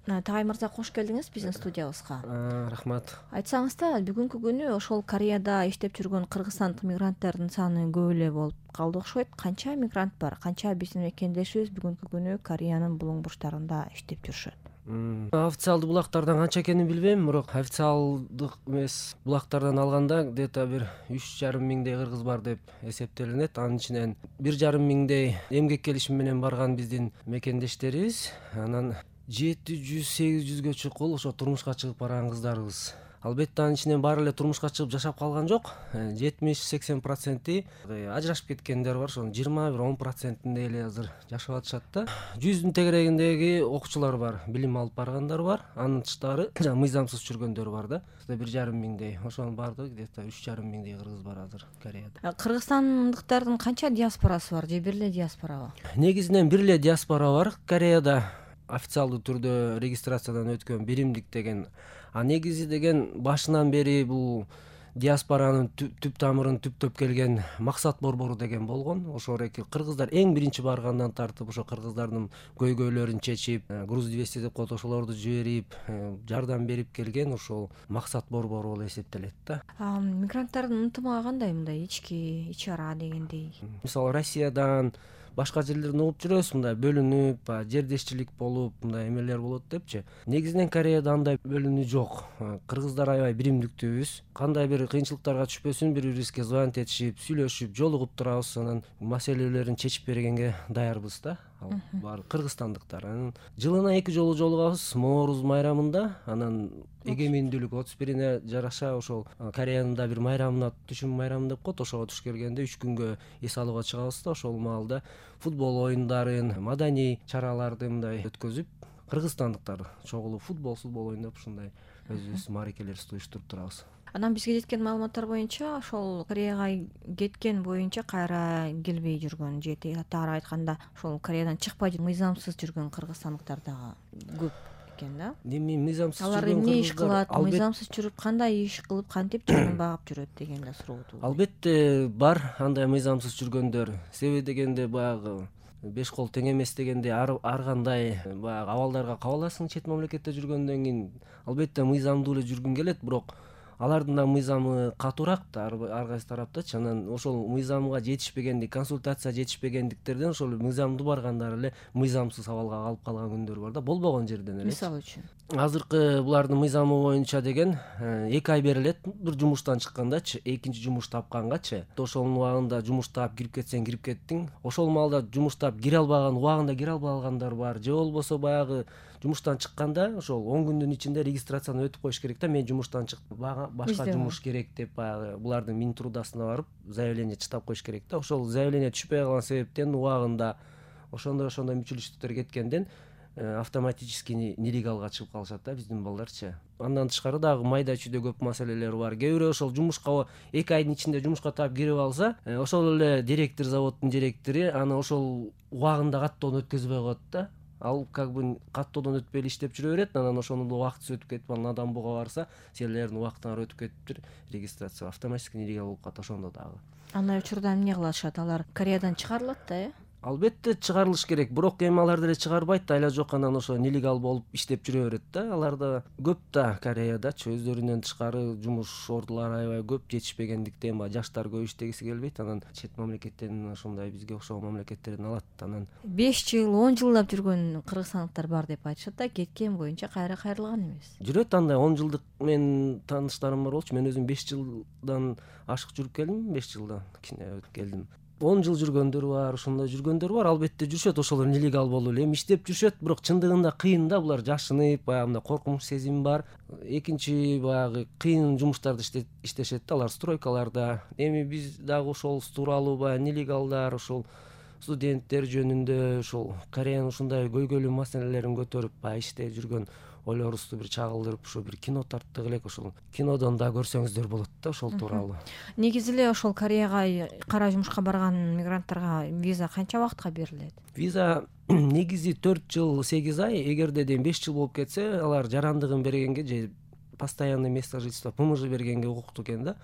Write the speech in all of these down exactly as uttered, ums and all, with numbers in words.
Тагай мырза, кош келдиңиз биздин студиябызга. Рахмат. Айтсаңыз да, бүгүнкү күнү ошол Кореяда иштеп жүргөн кыргызстандык мигранттардын саны көп эле болуп калды окшойт. Канча мигрант бар? Канча биздин мекендешибиз бүгүнкү күнү Кореянын булуң бурчтарында иштеп жүрүшөт? Официалдуу булактардан канча экенин билбейм, бирок официалдык эмес булактардан алганда где-то бир үч жарым миңдей кыргыз бар деп эсептелинет. Анын ичинен бир жарым миңдей эмгек келишими менен барган биздин мекендештерибиз. Анан жети жүз сегиз жүзгө чукул ошо турмушка чыгып барган кыздарыбыз. Албетте анын ичинен баары эле турмушка чыгып жашап калган жок. жетимиш сексен проценти ажырашып кеткендер бар. Ошонун жыйырма бир он процентиндей эле азыр жашап атышат да. Жүздүн тегерегиндеги окуучулар бар, билим алып баргандар бар. Анын тышкары мыйзамсыз жүргөндөр бар да. бир жарым миңдей. Ошонун баардыгы где-то үч жарым миңдей кыргыз бар азыр Кореяда. Кыргызстандыктардын канча диаспорасы бар же бир эле диаспорабы? Негизинен бир эле диаспора бар Кореяда. Официалдуу түрдө регистрациядан өткөн биримдик деген. А негизи деген башынан бери бул диаспоранын түп тамырын түптөп келген Максат борбору деген болгон. Ошо эки кыргыздар эң биринчи баргандан тартып ошо кыргыздардын көйгөйлөрүн чечип, груз двести деп коет, ошолорду жиберип, жардам берип келген ошол Максат борбору болуп эсептелет да. Мигранттардын ынтымагы кандай, мындай ички, ич ара дегендей? Мисалы Россиядан башка жерлерден угуп жүрөбүз, мындай бөлүнүп, жердешчилик болуп, мындай эмелер болот депчи. Негизинен Кореяда андай бөлүнүү жок. Кыргыздар аябай биримдиктүүбүз. Кандай бир кыйынчылыктарга түшпөсүн бири бирибизге звонить этишип, сүйлөшүп, жолугуп турабыз, анан маселелерин чечип бергенге даярбыз да. Ал бар кыргызстандыктар. Анан жылына эки жолу жолугабыз, Нооруз майрамында, анан эгемендүүлүк отуз бирине жараша ошол Кореянын да бир майрамына, түшүм майрамы деп коет, ошого туш келгенде үч күнгө эс алууга чыгабыз да. Ошол маалда футбол оюндарын, маданий чараларды мындай өткөзүп, кыргызстандыктар чогулуп футбол, футбол оюндап ушундай өзүбүз мааракелерибизди уюштуруп турабыз. Анан бизге жеткен маалыматтар боюнча ошол Кореяга кеткен боюнча кайра келбей жүргөн же тагыраак айтканда ошол Кореядан чыкпай мыйзамсыз жүргөн кыргызстандыктар дагы көп экен да. Эми мыйзамсыз алар эмне иш кылат, мыйзамсыз жүрүп кандай иш кылып, кантип жанын багып жүрөт деген да суроо туугат. Албетте бар андай мыйзамсыз жүргөндөр. Себеби дегенде баягы беш кол тең эмес дегенде ар кандай баягы абалдарга кабыласың чет мамлекетте жүргөндөн кийин. Албетте мыйзамдуу эле жүргүң келет, бирок алардын да мыйзамы катуураак да ар кайсы тараптачы. Анан ошол мыйзамга жетишпегендик, консультация жетишпегендиктерден ошол мыйзамдуу баргандар эле мыйзамсыз абалга калып калган күндөр бар да, болбогон жерден эле. Мисалы үчүн Азыркы булардын мыйзамы боюнча деген эки ай берилет бир жумуштан чыккандачы, экинчи жумуш тапкангачы. Ошонун убагында жумуш таап кирип кетсең кирип кеттиң. Ошол маалда жумуш таап кире албаган, убагында кире албагандар бар. Же болбосо баягы жумуштан чыкканда ошол он күндүн ичинде регистрацияны өтүп коюш керек да. Мен жумуштан чыктым, башка жумуш керек деп баягы булардын Минтрудасына барып заявление чытап коюш керек да. Ошол заявление түшпөй калган себептен убагында ошондой ошондой мүчүлүштүктөр кеткенден автоматически нелегалга чыгып калышат да биздин балдарчы. Андан тышкары дагы майда чүйдө көп маселелер бар. Кээ бирөө ошол жумушка эки айдын ичинде жумушка таап кирип алса, ошол эле директор, заводдун директору аны ошол убагында каттоодон өткөзбөй коет да. Ал как бы каттоодон өтпөй эле иштеп жүрө берет. Анан ошонун убактысы өтүп кетип, анан адам буга барса, силердин убактыңар өтүп кетиптир, регистрация автоматически нелегал болуп калат ошондо дагы. Андай учурда эмне кылышат? Алар Кореядан чыгарылат да, э? Албетте чыгарылыш керек, бирок эми алар деле чыгарбайт да, айла жок анан ошо нелегал болуп иштеп жүрө берет да. Аларда көп да Кореядачы өздөрүнөн тышкары жумуш ордулары аябай көп, жетишпегендиктен баягы жаштар көп иштегиси келбейт. Анан чет мамлекеттен ошондой бизге окшогон мамлекеттерден алат. Анан беш жыл, он жылдап жүргөн кыргызстандыктар бар деп айтышат да, кеткен боюнча кайра кайрылган эмес. Жүрөт андай он жылдык мен тааныштарым бар болчу. Мен өзүм беш жылдан ашык жүрүп келдим, беш жылдан кичине келдим. он жыл жүргөндөр бар, ошондой жүргөндөр бар. Албетте жүрүшөт, ошолор нелегал болуп эле эми иштеп жүрүшөт, бирок чындыгында кыйын да, булар жашынып, баягы коркунуч сезим бар. Экинчи баягы кыйын жумуштарды иштешет да, алар стройкаларда. Эми биз дагы ошол тууралуу баягы нелегалдар, ошол студенттер жөнүндө ошол Кореянын ушундай көйгөйлүү маселелерин көтөрүп баягы иштеп жүргөн ойлорубузду бир чагылдырып, ошо бир кино тарттык элек, ошол кинодон да көрсөңүздөр болот да ошол тууралуу. Негизи эле ошол Кореяга кара жумушка барган мигранттарга виза канча убакытка берилет? Виза негизи төрт жыл сегиз ай, эгерде ден беш жыл болуп кетсе, алар жарандыгын бергенге же постоянный место жительства ПМЖ бергенге укуктуу экен да.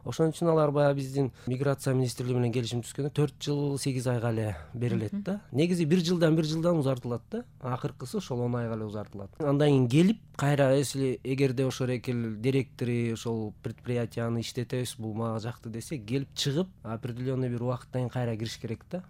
Ошон үчүн алар баягы биздин миграция министрлиги менен келишим түзгөндө төрт жыл сегиз айга эле берилет да. Негизи бир жылдан бир жылдан узартылат да. Акыркысы ошол он айга эле узартылат. Андан кийин келип кайра если эгерде ошол экел директори ошол предприятияны иштетебиз, бул мага жакты десе, келип чыгып определенный бир убакыттан кийин кайра кириш керек да.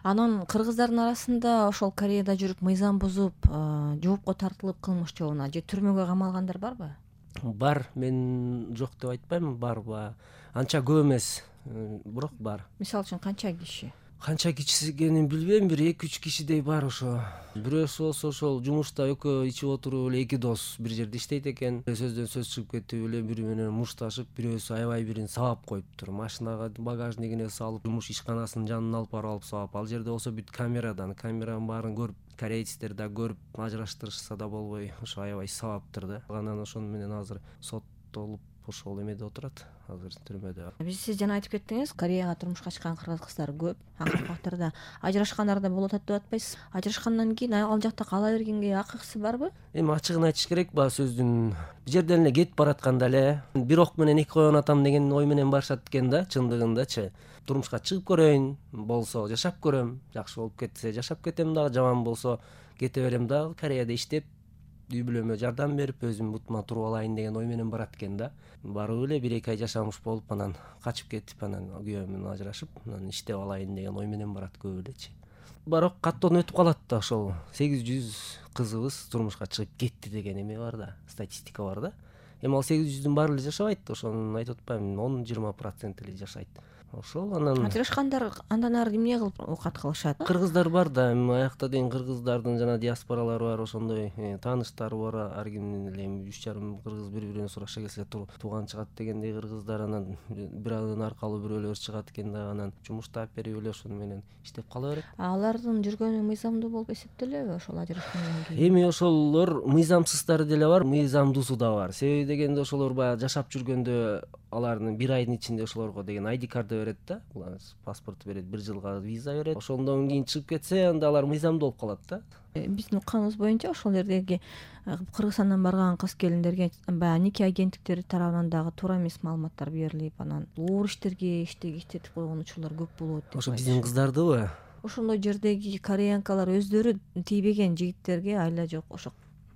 Анан кыргыздардын арасында ошол Кореяда жүрүп мыйзам бузуп жоопко тартылып кылмыш жообуна же түрмөгө камалгандар барбы? Бар, мен жок деп айтпайм, бар ба. Анча көп эмес, бирок бар. Мисалы үчүн канча киши? Канча киши экенин билбейм, бир эки үч кишидей бар ошо. Бирөөсү болсо ошол жумушта экөө ичип отуруп эле эки дос бир жерде иштейт экен. Сөздөн сөз чыгып кетип эле бири менен мушташып, бирөөсү аябай бирин сабап коюптур. Машинага, багажнигине салып, жумуш ишканасынын жанына алып барып алып сабап. Ал жерде болсо бүт камерадан, камеранын баарын көрүп, корейцтер да көрүп, ажыраштырышса да болбой, ошо аябай сабаптыр да. Анан ошону менен азыр соттолуп ошол эмеде отурат, азыр түрмөдө. Биз сиз жана айтып кеттиңиз, Кореяга турмушка чыккан кыргыз кыздар көп. Акыркы убактарда ажырашкандар да болуп атат деп атпайсыз? Ажырашкандан кийин ал жакта кала бергенге акысы барбы? Эми ачыгын айтыш керек, баягы сөздүн бир жерден эле кетип баратканда эле бир ок менен эки койгон атам деген ой менен барышат экен да, чындыгындачы. Турмушка чыгып көрөйүн, болсо жашап көрөм, жакшы болуп кетсе жашап кетем дагы, жаман болсо кете берем дагы, Кореяда иштеп үй бүлөмө жардам берип, өзүм бутума туруп алайын деген ой менен барат экен да. Барып эле бир эки ай жашамыш болуп, анан качып кетип, анан күйөөм менен ажырашып, анан иштеп алайын деген ой менен барат көбү элечи. Бирок каттоон өтүп калат да, ошол сегиз жүз кызыбыз турмушка чыгып кетти деген эме бар да, статистика бар да. Эми ал сегиз жүздүн баары эле жашабайт, ошону айтып атпаймынбы, он жыйырма процент эле жашайт. Ошол анан ажырашкандар андан ары эмне кылып оокат кылышат? Кыргыздар бар да, эми аякта деген кыргыздардын жана диаспоралары бар, ошондой тааныштары бар, ар кимдин эле эми үч жарым кыргыз бири-биринен сураша келсе тууган чыгат дегендей кыргыздар, анан бирөөнүн аркалуу бирөөлөр чыгат экен да, анан жумуш таап берип эле ошону менен иштеп кала берет. Алардын жүргөнү мыйзамдуу болуп эсептелеби ошол ажырашкандан кийин? Эми ошолор мыйзамсыздары деле бар, мыйзамдуусу да бар. Себеби дегенде ошолор баягы жашап жүргөндө алардын бир айдын ичинде ошолорго деген ай ди карты берет да, паспорт берет, бир жылга виза берет. Ошондон кийин чыгып кетсе, анда алар мыйзамдуу болуп калат да. Биздин укканыбыз боюнча ошол жердеги Кыргызстандан барган кыз келиндерге баягы нике агенттиктери тарабынан дагы туура эмес маалыматтар берилип, анан оор иштерге иштетип койгон учурлар көп болот деп. Ошо биздин кыздардыбы? Ошондой жердеги кореянкалар өздөрү тийбеген жигиттерге айла жок, ошо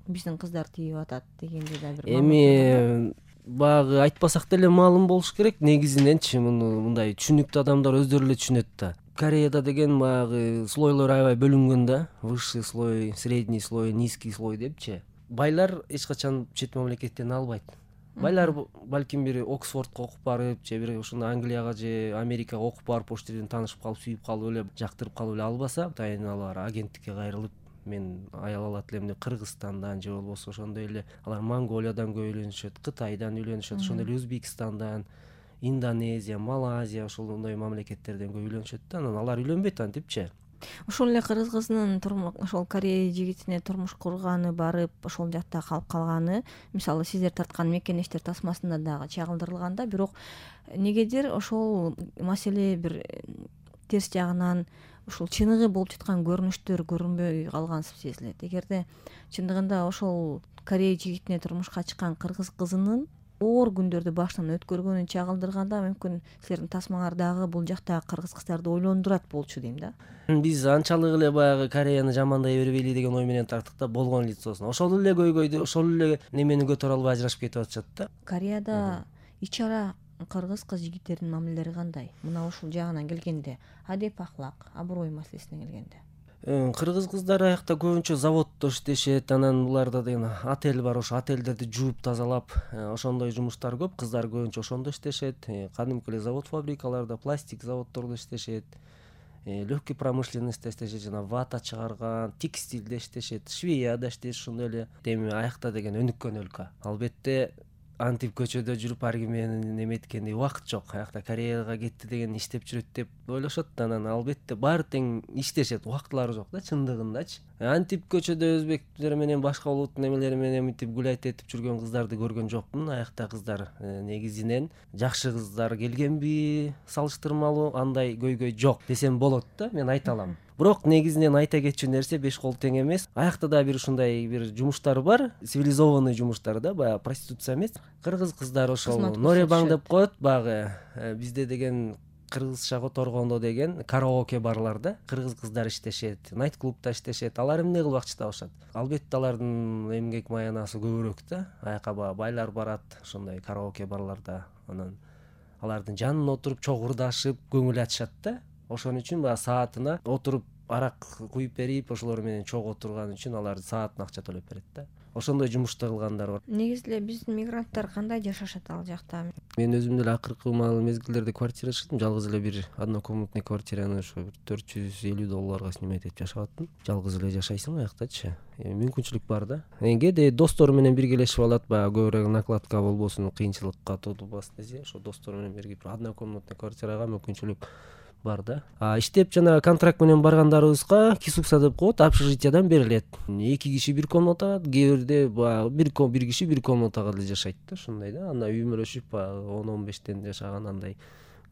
биздин кыздар тийип атат дегендей да бир. Эми баягы айтпасак деле маалым болуш керек, негизиненчи муну мындай түшүнүктүү адамдар өздөрү эле түшүнөт да. Кореяда деген баягы слойлор аябай бөлүнгөн да, высший слой, средний слой, низкий слой депчи. Байлар эч качан чет мамлекеттен албайт. Байлар балким бир Оксфордко окуп барып, же бир ушундай Англияга же Америкага окуп барып, ошол жерден таанышып калып, сүйүп калып эле, жактырып калып эле албаса, атайын алар агенттикке кайрылып, мен аял алат элем деп Кыргызстандан же болбосо ошондой эле алар Монголиядан көп үйлөнүшөт, Кытайдан үйлөнүшөт, ошондой эле Өзбекстандан, Индонезия, Малайзия, ошондой мамлекеттерден көп үйлөнүшөт да, анан алар үйлөнбөйт антипчи. Ошол эле кыргыз кызынын ошол Корея жигитине турмуш курганы, барып ошол жакта калып калганы, мисалы сиздер тарткан мекенештер тасмасында дагы чагылдырылганда, бирок негедир ошол маселе бир терс жагынан ушул чыныгы болуп жаткан көрүнүштөр көрүнбөй калгансып сезилет. Эгерде чындыгында ошол Корея жигитине турмушка чыккан кыргыз кызынын оор күндөрдү башынан өткөргөнүн чагылдырганда, мүмкүн силердин тасмаңар дагы бул жактагы кыргыз кыздарды ойлондурат болчу дейм да. Биз анчалык эле баягы Кореяны жамандай бербейли деген ой менен тарттык да, болгон лицосун. Ошол эле көйгөйдү, ошол эле немени көтөрө албай ажырашып кетип атышат да. Кореяда ич ара кыргыз кыз жигиттердин мамилелери кандай? Мына ушул жагынан келгенде, адеп ахлак, аброй маселесине келгенде. Кыргыз кыздар аякта көбүнчө заводдо иштешет, анан буларда деген отель бар, ошо отелдерди жууп тазалап, ошондой жумуштар көп. Кыздар көбүнчө ошондо иштешет, кадимки эле завод фабрикаларда, пластик заводдордо иштешет, легкий промышленностьта иштешет, жана вата чыгарган, текстилде иштешет, швеяда иштешет, ошондой эле. Эми аякта деген өнүккөн өлкө. Албетте антип көчөдө жүрүп ар ким менен эметкендей убакыт жок. Аякта Кореяга кетти деген иштеп жүрөт деп ойлошот да, анан албетте баары тең иштешет, убактылары жок да, чындыгындачы. Антип көчөдө өзбектер менен башка улуттун эмелери менен мынтип гулять этип жүргөн кыздарды көргөн жокмун. Аякта кыздар негизинен жакшы кыздар келгенби, салыштырмалуу андай көйгөй жок десем болот да, мен айта алам. бирок негизинен айта кетчү нерсе беш кол тең эмес. Аякта да бир ушундай бир жумуштар бар, цивилизованный жумуштар да, баягы проституция эмес. Кыргыз кыздары ошол норебаң деп коет, баягы бизде деген кыргызча которгондо деген караоке барларда кыргыз кыздар иштешет, найт клубда иштешет. Алар эмне кылбакчы табышат? Албетте алардын эмгек маянасы көбүрөөк да. Аяка баягы байлар барат ошондой караоке барларда. Анан алардын жанына отуруп чогурдашып көңүл ачышат да. Ошон үчүн баягы саатына отуруп арак куюп берип, ошолор менен чогуу турган үчүн алар саатына акча төлөп берет да. Ошондой жумушта кылгандар бар. Негизи эле биздин мигранттар кандай жашашат ал жакта? Мен өзүм деле акыркы мезгилдерде квартира чыктым. Жалгыз эле бир однокомнатный квартираны ошо төрт жүз элүү долларга снимать этип жашап аттым. Жалгыз эле жашайсың аяктачы. Мүмкүнчүлүк бар да. Кээде достор менен биргелешип алат, баягы көбүрөөк накладка болбосун, кыйынчылыкка тодулбасын десе, ошо достор менен бирге бир однокомнатный квартирага мүмкүнчүлүк бар да. А иштеп жана контракт менен баргандарыбызга кисукса деп коет, общежитиядан берилет. Эки киши бир комнатага, кээ бирде баягы бир бир киши бир комнатага деле жашайт да, ошондой да. Анда үймөлөшүп баягы он он бештен жашаган андай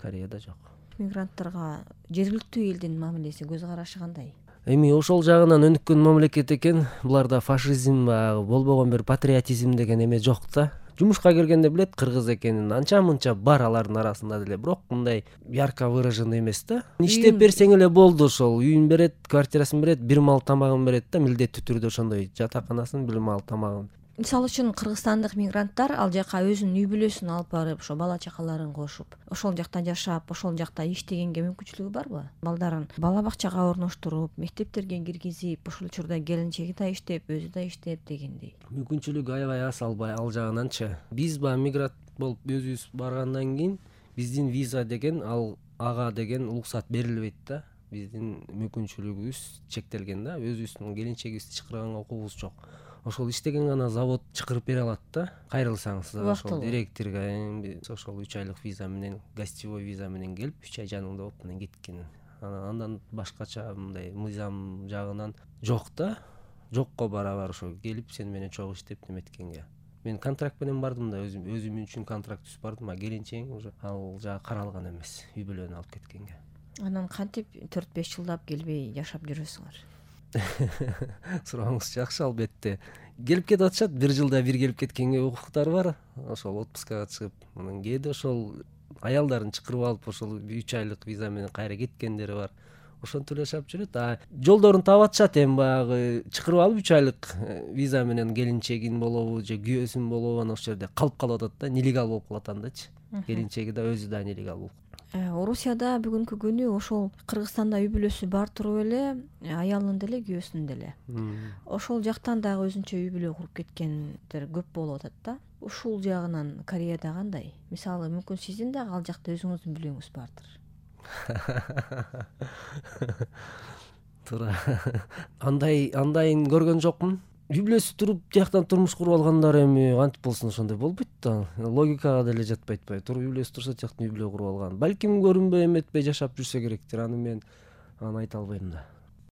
Кореяда жок. Мигранттарга жергиликтүү элдин мамилеси, көз карашы кандай? Эми ошол жагынан өнүккөн мамлекет экен. Буларда фашизм, баягы болбогон бир патриотизм деген эме жок да. Жумушка киргенде билет кыргыз экенин, анча-мынча бар алардын арасында деле, бирок мындай ярко выраженный эмес да. Иштеп берсең эле болду, ошол үйүн берет, квартирасын берет, бир мал тамагын берет да, милдеттүү түрдө ошондой жатаканасын, бир мал тамагын. Мисалы үчүн кыргызстандык мигранттар ал жака өзүнүн үй бүлөсүн алып барып, ошо бала чакаларын кошуп, ошол жакта жашап, ошол жакта иштегенге мүмкүнчүлүгү барбы? Балдарын бала бакчага орноштуруп, мектептерге киргизип, ошол учурда келинчеги да иштеп, өзү да иштеп дегендей. Мүмкүнчүлүк аябай аз, албай ал жагынанчы. Биз баягы мигрант болуп өзүбүз баргандан кийин биздин виза деген, ал ага деген уруксат берилбейт да. Биздин мүмкүнчүлүгүбүз чектелген да. Өзүбүздүн келинчегибизди чакырганга укугубуз жок. Ошол иштеген гана завод чакырып бере алат да. Кайрылсаңыз ошол директорго ошол үч айлык виза менен, гостевой виза менен келип, үч ай жаныңда болуп анан кеткен. Андан башкача мындай мыйзам жагынан жок да. Жокко барабар ошо келип сен менен чогуу иштеп неметкенге. Мен контракт менен бардым да, өзүм өзүм үчүн контракт түзүп бардым, а келинчегим уже ал жагы каралган эмес, үй бүлөнү алып кеткенге. Анан кантип төрт беш жылдап келбей жашап жүрөсүңөр? Сурооңуз жакшы, албетте. Келип кетип атышат, бир жылда бир келип кеткенге укуктары бар. Ошол отпускага чыгып, анан кээде ошол аялдарын чакырып алып, ошол үч айлык виза менен кайра кеткендери бар. Ошентип эле жашап жүрөт. А жолдорун таап атышат, эми баягы чакырып алып үч айлык виза менен келинчегин болобу же күйөөсүн болобу, анан ошол жерде калып калып атат да, нелегал болуп калат андачы. Келинчеги да өзү да нелегал болуп. Орусияда бүгүнкү күнү ошол Кыргызстанда үй бүлөсү бар туруп эле аялын деле күйөөсүн деле. Ошол жактан дагы өзүнчө үй бүлө куруп кеткендер көп болуп атат да. Ушул жагынан Кореяда кандай? Мисалы, мүмкүн сиздин дагы ал жакта өзүңүздүн бүлөңүз бардыр. Туура. Андай андайын көргөн жокмун. Үй бүлөсү туруп, тияктан турмуш куруп алгандар эми кантип болсун, ошондой болбойт да. Логикага деле жатпайт бай. Туруп үй бүлөсү турса, тияктан үй бүлө куруп алган. Балким көрүнбөй эметпей жашап жүрсө керектир. Аны мен аны айта албайм да.